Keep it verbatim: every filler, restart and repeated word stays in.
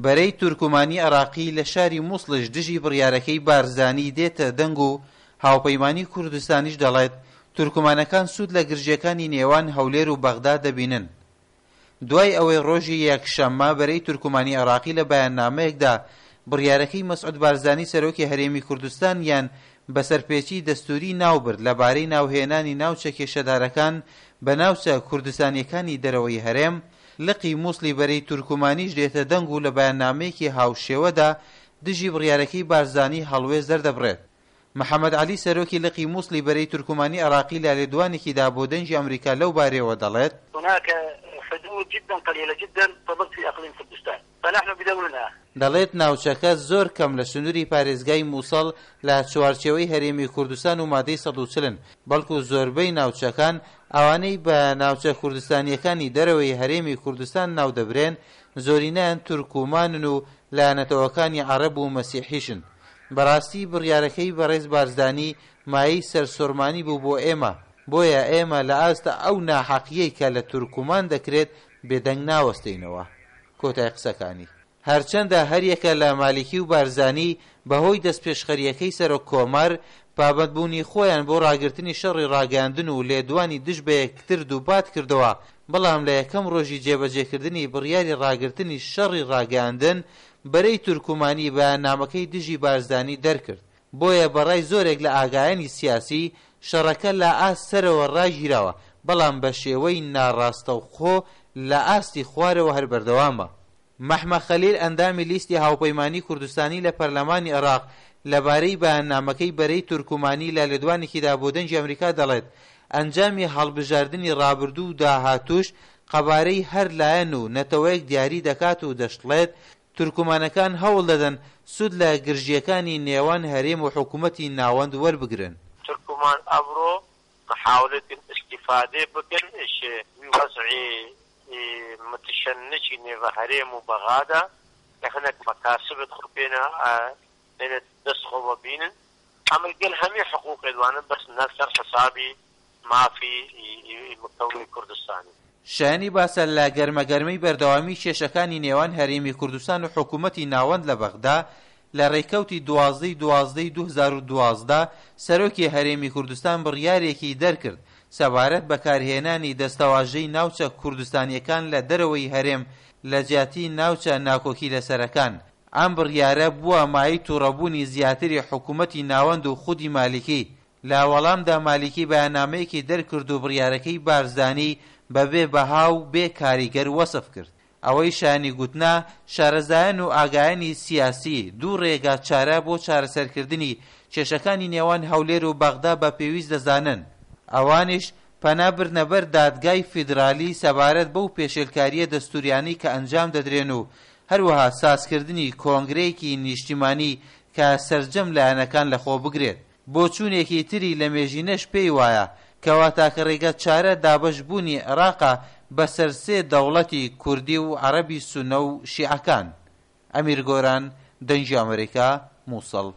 بەرەی تورکمانی عێراقی لە شاری موسڵیش دژی بڕیارەکەی بارزانی دێتە دەنگ و هاوپەیمانی کوردستانیش دەڵێت تورکمانەکان سوود لە گرژییەکانی نێوان هەولێر و بەغدا دەبینن. دوای ئەوەی ڕۆژی یەکشەممە بەرەی تورکمانی عێراقی لە بەیاننامەیەکدا بڕیارەکەی مەسعود بارزانی سەرۆکی هەرێمی کوردستانیان بە سەرپێچی دەستووری ناوبرد لەبارەی ناوهێنانی ناوچە کێشەدارەکان بە ناوچە کوردستانیەکانی دەرەوەی هەرێم، لقی موسڵی بەرەی تورکمانیش دێتە دەنگ و لە بەیاننامەیەکی هاوشێوەدا دژی بڕیارەکەی بارزانی هەڵوێست دەردەبڕێت. محەمەد عەلی سەرۆکی لقی موسڵی بەرەی تورکمانی عێراقی لە لێدوانێکیدا بۆ دەنگی ئەمریکا لەو بارەیەوە دەڵێت: هناك حدود جدا قليلة جدا تضل في اقليم كردستان فنحن بدورنا دەڵێت ناوچەکە زۆر کەم لە سنووری پارێزگای مووسڵ لە چوارچێوەی هەرێمی کوردستان و مادەی سەد و چل بەڵکو زۆربەی ناوچەکان ئەوانەی بە ناوچە کوردستانیەکانی دەرەوەی هەرێمی کوردستان ناودەبرێن زۆرینەیان تورکمانن و لە نەتەوەکانی عەرەب و مەسیحیشن. بەڕاستی بڕیارەکەی بەڕێز بارزانی مایەی سەرسوڕمانی بوو بۆ ئێمە، بۆیە ئێمە لە ئاست ئەو ناحەقیەی کە لە تورکمان دەکرێت بێدەنگ ناوەستینەوە. کۆتای قسەکانی. هەرچەندە هەریەکە لە مالیکی و بارزانی بەهۆی دەستپێشخەریەکەی سەرۆک کۆمار پابەندبوونی خۆیان بۆ ڕاگرتنی شەڕی ڕاگەیاندن و لێدوانی دژ بە یەکتر دووپات کردەوە، بەڵام لە یەکەم ڕۆژی جێبەجێکردنی بڕیاری ڕاگرتنی شەڕی ڕاگەیاندن بەرەی تورکمانی بەیاننامەکەی دژی بارزانی دەرکرد. بۆیە بەڕای زۆرێک لە ئاگایانی سیاسی شەڕەکە لە ئاست سەرەوە ڕاگیراوە، بەڵام بە شێوەی ناڕاستەوخۆ لە ئاستی خوارەوە هەر بەردەوامە. مەحمە خەلیل ئەندامی لیستی هاوپەیمانی کوردستانی لە پەرلەمانی عێراق لەبارەی بەیاننامەکەی بەرەی تورکمانی لە لێدوانێکیدا بۆ دەنگی ئەمریکا دەڵێت ئەنجامی هەڵبژاردنی ڕابردوو و داهاتووش قەبارەی هەر لایەن و نەتەوەیەک دیاری دەکات و دەشڵێت تورکمانەکان هەوڵ دەدەن سوود لە گرژییەکانی نێوان هەرێم و حکوومەتی ناوەند وەربگرن. تورکمان ئەمڕۆ محاولة استفادة بکەن وضعی متشنجی نێوە هەرێم و بەغادا کە هەنێک مەکاسبت خۆ پێنە پێنە دەست خۆوە بینن ئەمە گەل هەمی حقوقی دوانن بەس نەسەر حسابی مافی مکەونی کوردستانی. شایانی باسە لە گەرمەگەرمەی بەردەوامی کێشەکانی نێوان هەرێمی کوردستان و حکوومەتی ناوەند لە بەغدا لە ڕێکەوتی دوازدەی دوازدەی دوو هەزار و دوازدە سەرۆکی هەرێمی کوردستان بڕیارێکی دەرکرد سەبارەت بەکارهێنانی دەستەواژەی ناوچە کوردستانیەکان لە دەرەوەی هەرێم لە جیاتی ناوچە ناکۆکی لەسەرەکان. ئەم بڕیارە بووە مایەی تووڕەبوونی زیاتری حکوومەتی ناوەند و خودی مالیکی. لە وەڵامدا مالیکی بەیاننامەیەکی دەرکرد و بڕیارەکەی بارزانی بەبێ بەها و بێ کاریگەر وەسف کرد. ئەوەی شایانی گوتنە شارەزایان و ئاگایانی سیاسی دوو ڕێگا چارە بۆ چارەسەرکردنی کێشەکانی نێوان هەولێر و بەغدا بە پێویست دەزانن، ئەوانیش پەنا بردنە بەر دادگای فیدرالی سەبارەت بەو پێشێلکاریە دەستوریانەی کە ئەنجام دەدرێن و هەروەها سازکردنی کۆنگرەیەکی نیشتیمانی کە سەرجەم لایەنەکان لەخۆ بگرێت. بۆچوونێکی تری لە مێژینەش پێی وایە کەوا تاکە ڕێگە چارە دابەشبوونی عێراقە بەسەر سێ دەوڵەتی کوردی و عەرەبی سونە و شیعەکان. ئەمیر گۆران، دەنگی ئەمریکا، مووسڵ.